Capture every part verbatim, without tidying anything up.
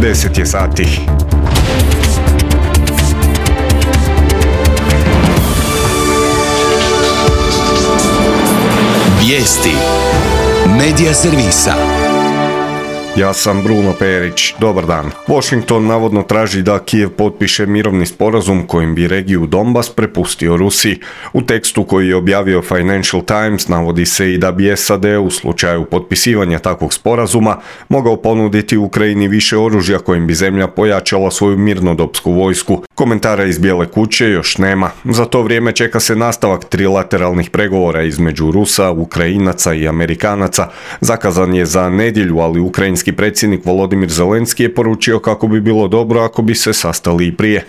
deset je sati. Vijesti Medija servisa. Ja sam Bruno Perić, dobar dan. Washington navodno traži da Kijev potpiše mirovni sporazum kojim bi regiju Donbas prepustio Rusiji. U tekstu koji je objavio Financial Times navodi se i da bi S A D u slučaju potpisivanja takvog sporazuma mogao ponuditi Ukrajini više oružja kojim bi zemlja pojačala svoju mirnodopsku vojsku. Komentara iz Bijele kuće još nema. Za to vrijeme čeka se nastavak trilateralnih pregovora između Rusa, Ukrajinaca i Amerikanaca. Zakazan je za nedjelju, ali ukrajinski predsjednik Volodimir Zelenski je poručio kako bi bilo dobro ako bi se sastali i prije.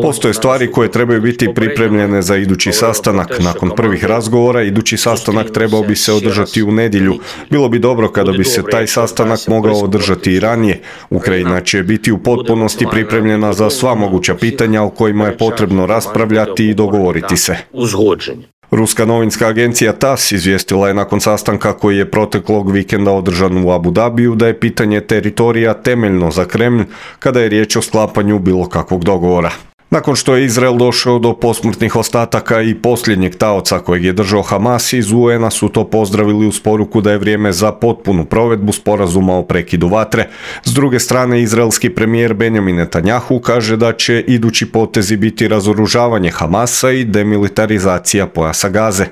Postoje stvari koje trebaju biti pripremljene za idući sastanak. Nakon prvih razgovora, idući sastanak trebao bi se održati u nedjelju. Bilo bi dobro kada bi se taj sastanak mogao održati i ranije. Ukrajina će biti u potpunosti pripremljena za sva moguća pitanja o kojima je potrebno raspravljati i dogovoriti se. Ruska novinska agencija T A S izvijestila je nakon sastanka koji je proteklog vikenda održan u Abu Dabiju da je pitanje teritorija temeljno za Kremlj kada je riječ o sklapanju bilo kakvog dogovora. Nakon što je Izrael došao do posmrtnih ostataka i posljednjeg taoca kojeg je držao Hamas, iz U N-a su to pozdravili uz poruku da je vrijeme za potpunu provedbu sporazuma o prekidu vatre. S druge strane, izraelski premijer Benjamin Netanjahu kaže da će idući potezi biti razoružavanje Hamasa i demilitarizacija pojasa Gaze.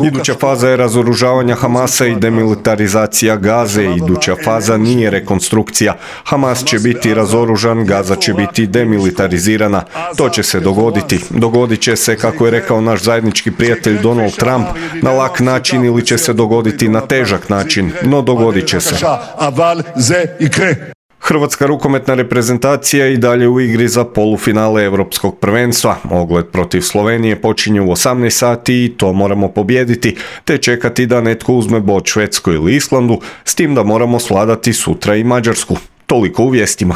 Iduća faza je razoružavanja Hamasa i demilitarizacija Gaze. Iduća faza nije rekonstrukcija. Hamas će biti razoružan, Gaza će biti demilitarizirana. To će se dogoditi. Dogodit će se, kako je rekao naš zajednički prijatelj Donald Trump, na lak način ili će se dogoditi na težak način, no dogodit će se. Hrvatska rukometna reprezentacija i dalje u igri za polufinale Europskog prvenstva. Ogled protiv Slovenije počinje u osamnaest sati i to moramo pobijediti, te čekati da netko uzme bod Švedskoj ili Islandu, s tim da moramo svladati sutra i Mađarsku. Toliko u vijestima.